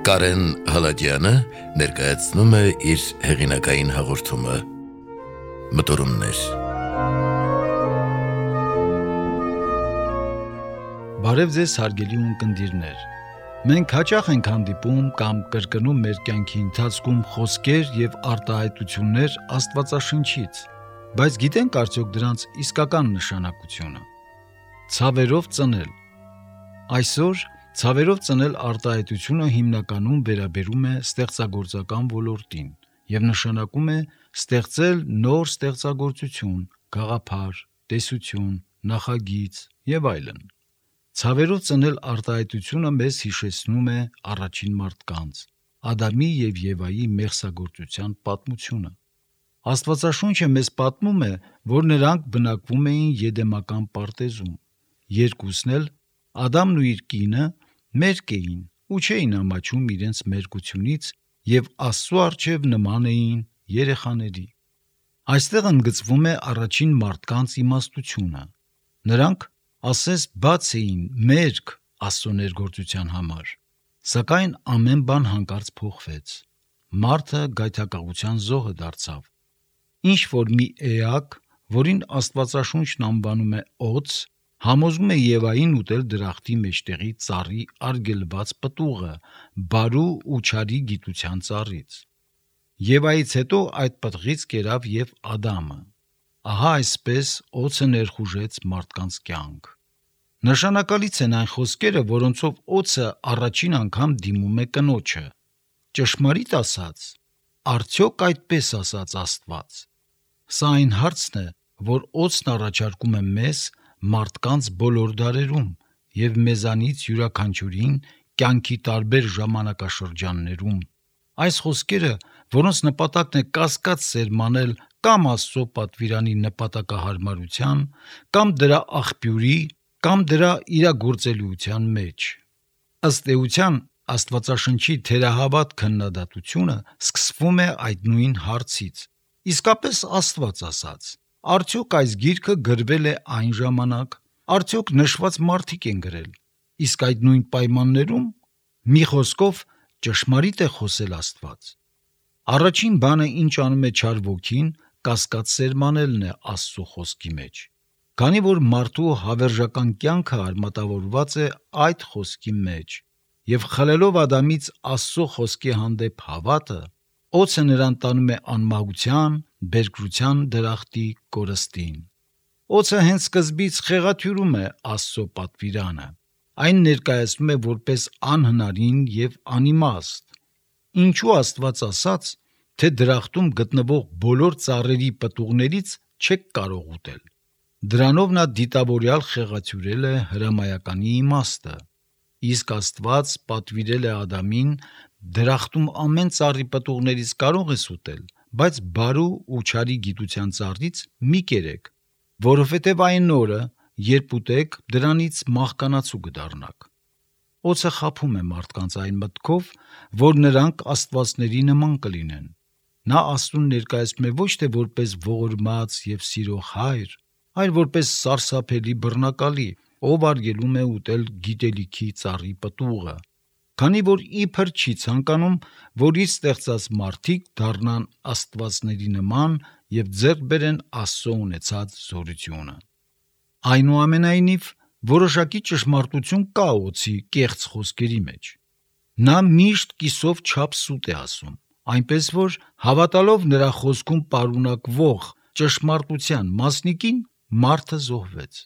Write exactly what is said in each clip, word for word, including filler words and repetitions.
Կարեն Հալաջյանը ներկայացնում է իր հեղինակային հաղորդումը Մտորումներ։ Բարև ձեզ հարգելի ունկնդիրներ։ Մենք հաճախ ենք հանդիպում կամ կրկնում մեր կյանքի ընթացքում խոսքեր եւ արտահայտություններ Աստվածաշնչից, բայց գիտենք արդյոք դրանց իսկական նշանակությունը։ Ցավերով ծնել։ Այսօր ցավերով ծնել արտահայտությունը հիմնականում վերաբերում է ստեղծագործական ոլորտին եւ նշանակում է ստեղծել նոր ստեղծագործություն, գաղափար, տեսություն, նախագիծ եւ այլն։ Ցավերով ծնել արտահայտությունը մեզ հիշեցնում է առաջին մարդկանց, Ադամի եւ Եվայի մեղսագործության պատմությունը։ Աստվածաշունչը մեզ պատմում է, որ նրանք բնակվում էին Եդեմական պարտեզում։ Երկուսն էլ, Ադամն ու իր կինը, մերկ էին ու չէին ամաչում իրենց մերկությունից եւ Աստծո առջև նման էին երեխաների։ Այստեղ ընդգծվում է առաջին մարդկանց իմաստությունը։ Նրանք ասես բաց էին մերկ Աստծո ներգործության համար, սակայն ամեն բան հանկարծ փոխվեց։ Մարդը գայթակղության զոհը դարձավ։ Ինչ որ մի էակ, որին Աստվածաշունչն անվանում է օձ, համոզում է Եվային ուտել դրախտի մեջտեղի ծառի արգելված պտուղը, բարու ու չարի գիտության ծառից։ Եվայից հետո այդ պտղից կերավ եւ Ադամը։ Ահա այսպես օձը ներխուժեց մարդկանց կյանք։ Նշանակալից են այն խոսքերը, որոնցով օձը առաջին անգամ դիմում է կնոջը։ Ճշմարիտ ասած, արդյոք այդպես ասաց Աստված։ Սա այն հարցն է, որ օձն առաջարկում է մեզ մարդկանց բոլոր դարերում եւ մեզանից յուրաքանչյուրին կյանքի տարբեր ժամանակաշրջաններում։ Այս խոսքերը, որոնց նպատակն է կասկած սերմանել կամ Աստծո պատվիրանի նպատակահարմարության, կամ դրա աղբյուրի, կամ դրա իրագործելիության մեջ։ Ըստ էության, Աստվածաշնչի թերահավատ քննադատությունը սկսվում է այդ նույն հարցից։ Իսկապես Աստված ասաց. արդյոք այս գիրքը գրվել է այն ժամանակ, արդյոք նշված մարդիկ են գրել, իսկ այդ նույն պայմաններում, մի խոսքով, ճշմարիտ է խոսել Աստված։ Առաջին բանը, ինչ անում է չար ոգին, կասկած սերմանելն է Աստծո խոսքի մեջ, քանի որ մարդու հավերժական կյանքը արմատավորված է այդ խոսքի մեջ, եւ խլելով Ադամից Աստծո խոսքի հանդեպ հավատը, օձը նրան տանում է անմահության, բերկրության դրախտի կորստին։ Օձը հենց սկզբից խեղաթյուրում է Աստծո պատվիրանը։ Այն ներկայացնում է որպես անհնարին եւ անիմաստ։ Ինչու Աստված ասաց, թե դրախտում գտնվող բոլոր ծառերի պտուղներից չեք կարող ուտել։ Դրանով նա դիտավորյալ խեղաթյուրել է հրամայականի իմաստը։ Իսկ Աստված պատվիրել է Ադամին դրախտում ամեն ծառի պտուղներից կարող ես ուտել, բայց բարու ու չարի գիտության ծառից մի կերեք, որովհետև այն օրը, երբ ուտեք, դրանից մահկանացու կդառնաք։ Օձը խաբում է մարդկանց այն մտքով, որ նրանք աստվածների նման կլինեն։ Նա Աստծուն ներկայացնում է ոչ թե որպես ողորմած եւ սիրո հայր, այլ որպես սարսափելի բռնակալի, ով արգելում է ուտել գիտելիքի ծառի պտուղը, քանի որ իբր չի ցանկանում, որ իր ստեղծած մարդիկ դառնան աստվածների նման եւ ձեռք բերեն Աստծո ունեցած զորությունը։ Այնուամենայնիվ, որոշակի ճշմարտություն կա օձի կեղծ խոսքերի մեջ։ Նա միշտ կիսով չափ սուտ է ասում, այնպես որ հավատալով նրա խոսքում պարունակվող ճշմարտության մասնիկին, մարդը զոհվեց։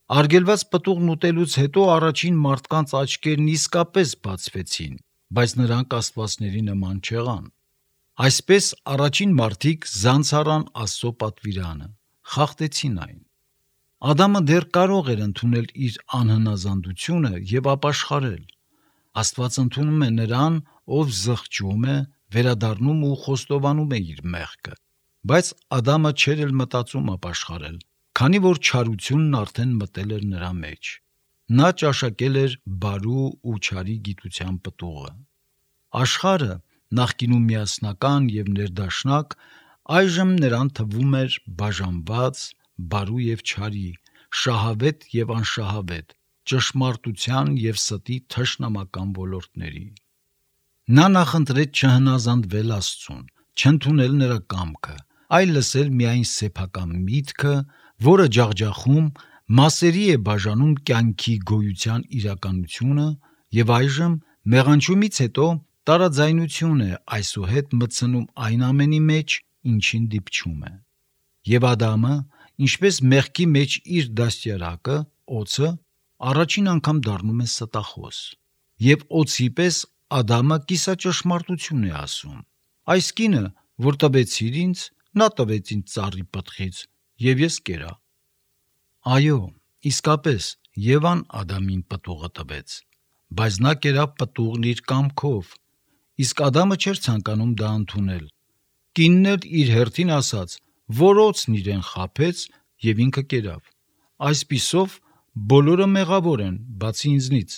Արգելված պտուղն ուտելուց հետո առաջին մարդկանց աչքերն իսկապես բացվեցին, բայց նրանք աստվածների նման չեղան։ Այսպես առաջին մարդիկ զանցարան Աստծո պատվիրանը, խախտեցին այն։ Ադամը դեռ կարող էր ընդունել իր անհնազանդությունը եւ ապաշխարել։ Աստված ընդունում է նրան, ով զղջում է, վերադառնում ու խոստովանում է իր մեղքը, բայց Ադամը չէր էլ մտածում ապաշխարել, քանի որ չարությունն արդեն մտել էր նրա մեջ։ Նա ճաշակել էր բարու ու չարի գիտության պտուղը։ Աշխարհը, նախկինում միասնական եւ ներդաշնակ, այժմ նրան թվում էր բաժանված, բարու եւ չարի, շահավետ եւ անշահավետ, ճշմարտության եւ ստի թշնամական ոլորտների։ Նա նախընտրեց չհնազանդվել Աստծուն, չընդունել նրա կամքը, այլ լսել միայն սեփական միտքը, որը ջախջախում մասերի է բաժանում կյանքի գոյության իրականությունը եւ այժմ մեղանջումից հետո տարաձայնություն է այսուհետ մտցնում այն ամենի մեջ, ինչին դիպչում է։ Եվ Ադամը, ինչպես մեղքի մեջ իր դաստիարակը, օձը, առաջին անգամ դառնում է ստախոս։ Եվ օձի պես Ադամը կիսաճշմարտություն է ասում. այս կինը, որ տվեցիր ինձ, նա տվեց ինձ ծառի պտղից, եւ ես կերա։ Այո, իսկապես Եվան Ադամին պտուղը տվեց, բայց նա կերավ պտուղն իր կամքով, իսկ Ադամը չէր ցանկանում դա ընդունել։ Կինն էլ իր հերթին ասաց, որ օձն իրեն խաբեց եւ ինքը կերավ։ Այսպիսով բոլորը մեղավոր են, բացի ինձնից։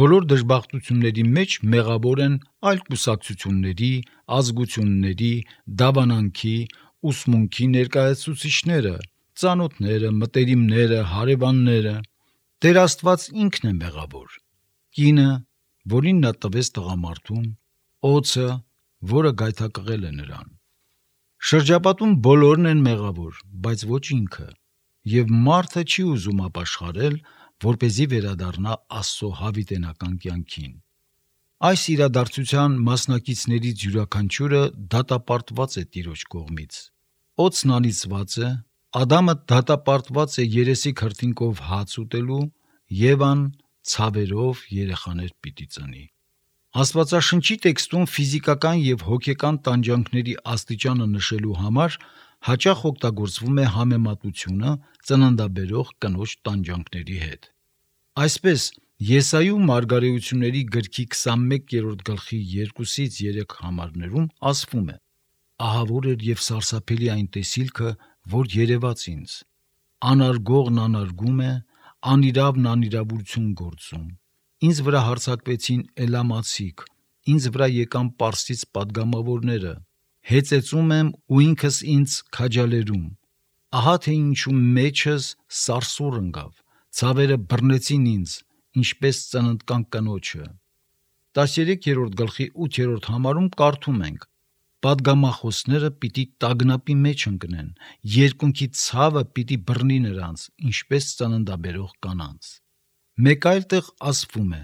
Բոլոր դժբախտությունների մեջ մեղավոր են այլ կուսակցությունների, ազգությունների, դավանանքի, ուսմունքի ներկայացուցիչները, ծանոթները, մտերիմները, հարևանները։ Տեր Աստված ինքն է մեղավոր։ Կինը, որին նա տվեց տղամարդուն, օձը, որը գայթակղել է նրան։ Շրջապատում բոլորն են մեղավոր, բայց ոչ ինքը, եւ մարդը չի ուզում ապաշխարել, որպեսզի վերադառնա Աստծո հավիտենական կյանքին։ Այս իրադարձության մասնակիցներից յուրաքանչյուրը դատապարտված է Տիրոջ կողմից։ Օձն անիծված է, Ադամը դատապարտված է երեսի քրտինկով հաց ուտելու, Եվան ցավերով երեխաներ պիտի ծնի։ Աստվածաշնչի տեքստում ֆիզիկական եւ հոգեկան տանջանքների աստիճանը նշելու համար հաճախ օգտագործվում է համեմատությունը ծննդաբերող կնոջ տանջանքների հետ։ Այսպես Եսայու մարգարեությունների գրքի քսանմեկերորդ գլխի երկուսից երեք համարներում ասվում է. ահավոր էր եւ սարսափելի այն տեսիլքը, որ երևաց ինձ։ Անարգողն անարգում է, անիրավն անիրավություն գործում։ Ինձ վրա հարձակվեցին էլամացիք, ինձ վրա եկան պարսից падգամավորները, հեծեծում եմ ու ինքս ինձ քաջալերում։ Ահա թե ինչու մեջս սարսուռ ընկավ, ցավերը բռնեցին ինձ, ինչպես ծննդկան կնոջը։ տասներեքերորդ գլխի ութերորդ համարում կարդում ենք. Պատգամախոսները պիտի տագնապի մեջ ընկնեն, երկունքի ցավը պիտի բռնի նրանց, ինչպես ծննդաբերող կանանց։ Մեկ այլ տեղ ասվում է.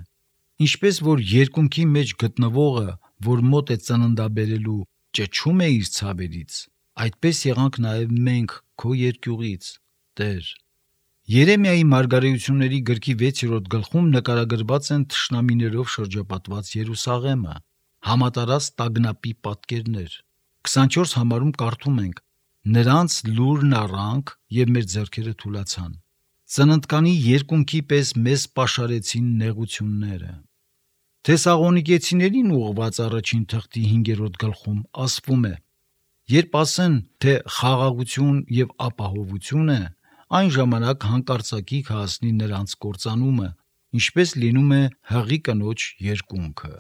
ինչպես որ երկունքի մեջ գտնվողը, որ մոտ է ծննդաբերելու, ճչում է իր ցավերից, այդպես եղանք նաև մենք քո երկյուղից, Տեր։ Երեմիայի մարգարեությունների գրքի վեցերորդ գլխում նկարագրված են թշնամիներով շրջապատված Երուսաղեմը, համատարած տագնապի պատկերներ։ քսանչորս համարում կարդում ենք. նրանց լուրն առանք եւ մեր ձեռքերը թուլացան։ Ծննդկանի երկունքի պես մեզ պաշարեցին նեղությունները։ Թեսաղոնիկեցիներին ուղղված առաջին թղթի հինգերորդ գլխում ասվում է. երբ ասեն, թե խաղաղություն եւ ապահովություն է, այն ժամանակ հանկարծակի կհասնի նրանց կործանումը, ինչպես լինում է հղի կնոջ երկունքը։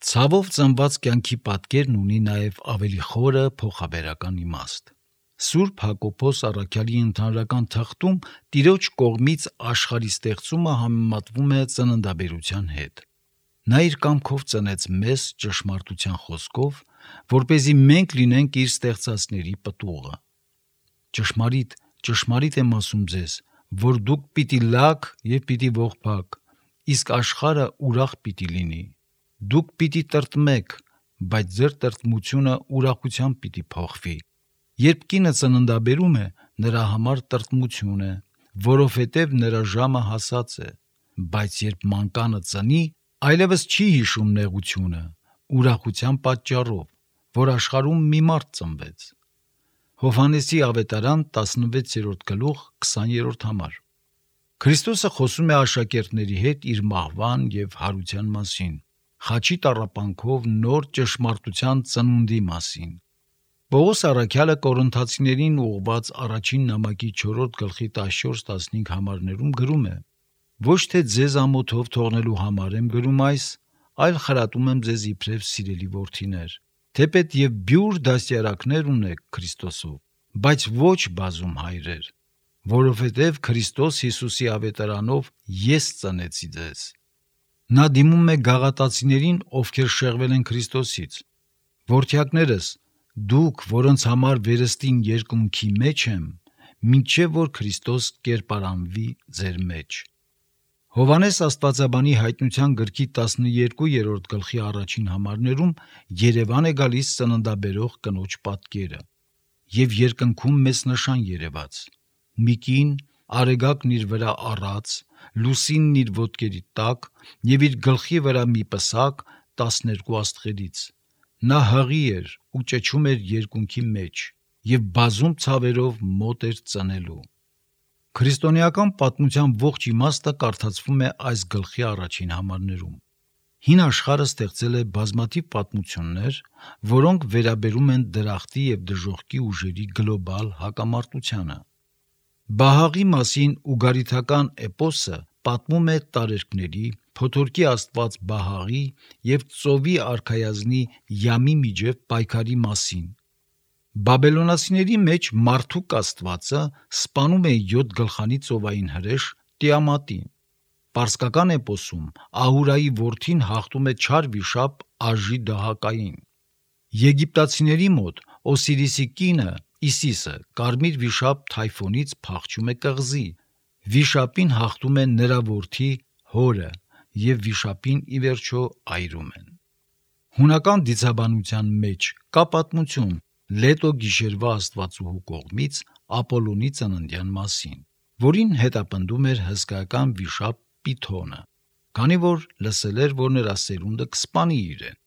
Ցավով ծնված կյանքի պատկերն ունի նաև ավելի խորը փոխաբերական իմաստ։ Սուրբ Հակոբոս առաքյալի ընդհանրական թղթում Տիրոջ կողմից աշխարհի ստեղծումը համեմատվում է ծննդաբերության հետ։ Նա իր կամքով ծնեց մեզ ճշմարտության խոսքով, որպեսզի մենք լինենք իր ստեղծածների պտուղը։ Ճշմարիտ, ճշմարիտ եմ ասում ձեզ, որ դուք պիտի լաք եւ պիտի ողբաք, իսկ աշխարհը ուրախ պիտի լինի։ Դուք պիտի տրտմեք, բայց ձեր տրտմությունը ուրախությամբ պիտի փոխվի։ Երբ կինը ծննդաբերում է, նրա համար տրտմություն է, որովհետև նրա ժամը հասած է, բայց երբ մանկանը ծնի, այլևս չի հիշում նեղությունը, ուրախության պատճառով, որ աշխարհում մի մարդ ծնվեց։ Հովհաննեսի ավետարան տասնվեցերորդ գլուխ քսաներորդ համար։ Քրիստոսը խոսում է աշակերտների հետ իր մահվան եւ հարության մասին, խաչի տառապանքով նոր ճշմարտության ծնունդի մասին։ Պողոս առաքյալը Կորինթացիներին ուղղված առաջին նամակի չորրորդ գլխի տասնչորս տասնհինգ համարներում գրում է. Ոչ թե ձեզ ամոթով թողնելու համար եմ գրում այս, այլ խրատում եմ ձեզ իբրև սիրելի որդիներ, թեպետ եւ բյուր դաստիարակներ ունեք Քրիստոսով, բայց ոչ բազում հայրեր, որովհետև Քրիստոս Հիսուսի ավետարանով ես ծնեցի ձեզ։ Նա դիմում է գաղատացիներին, ովքեր շեղվել են Քրիստոսից. «Որդյակներս, դուք, որոնց համար վերստին երկնքի մեջ եմ, մինչև որ Քրիստոս կերպարանվի ձեր մեջ»։ Հովհաննես աստվածաբանի հայտնության գրքի տասներկուերորդ գլխի առաջին համարներում Երևան է գալիս ծննդաբերող կնոջ պատկերը, եւ երկնքում մեծ նշան երևաց. մի կին, արեգակն իր վրա առած, լուսինն իր ոտքերի տակ եւ իր գլխի վրա մի պսակ տասներկու աստղերից։ Նա հղի էր ու ճչում էր երկունքի մեջ եւ բազում ցավերով մոտ էր ծնելու։ Քրիստոնեական պատմության ողջ իմաստը կարդացվում է այս գլխի առաջին համարներում։ Հին աշխարհը ստեղծել է բազմաթիվ պատմություններ, որոնք վերաբերում են դրախտի եւ դժոխքի ուժերի գլոբալ հակամարտությանը։ Բահաղի մասին ուգարիթական էպոսը պատմում է տարերկների, փոթորկի աստված Բահաղի եւ ծովի արքայազնի Յամի միջև պայքարի մասին։ Բաբելոնացիների մեջ Մարդուկ աստվածը սպանում է յոթ գլխանի ծովային հրեշ Տիամատին։ Պարսկական էպոսում Ահուրայի որդին հաղթում է չար վիշապ Աժի դահակային։ Եգիպտացիների մոտ Օսիրիսի կինը Իսիսը կարմիր վիշապ Թայֆոնից փախչում է կղզի։ Վիշապին հաղթում է նրա որդի Հորը եւ վիշապին ի վերջո այրում են։ Հունական դիցաբանության մեջ կա պատմություն Լետո գիշերվա աստվածուհու կողմից Ապոլոնի ծննդյան մասին, որին հետապնդում էր հսկայական վիշապ Պիթոնը, քանի որ լսել էր, որ նրա սերունդը կսպանի իրեն։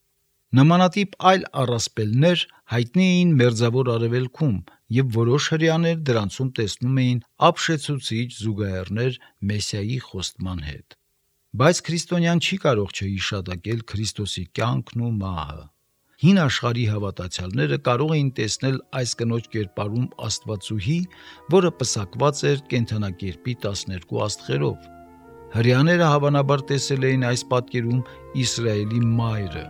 Նմանատիպ այլ առասպելներ հայտնի էին Մերձավոր Արևելքում, եւ որոշ հրեաներ դրանցում տեսնում էին ապշեցուցիչ զուգահեռներ Մեսիայի խոստման հետ։ Բայց քրիստոնյան չի կարող չհիշատակել Քրիստոսի կյանքն ու մահը։ Հին աշխարհի հավատացյալները կարող էին տեսնել այս կնոջ կերպարում աստվածուհի, որը պսակված էր կենդանակերպի տասներկու աստղերով։ Հրեաները հավանաբար տեսել էին այս պատկերում Իսրայելի մայրը,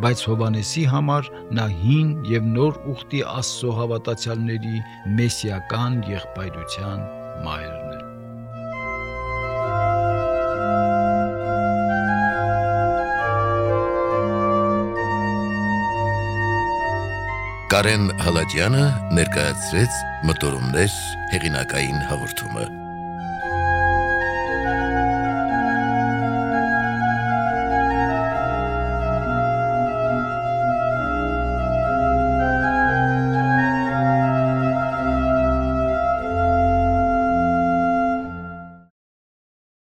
բայց Հովհաննեսի համար նա հին եւ նոր ուխտի Աստծո հավատացյալների մեսիական եղբայրության մայրն է։ Կարեն Հալաջյանը ներկայացրեց Մտորումներ հեղինակային հաղորդումը։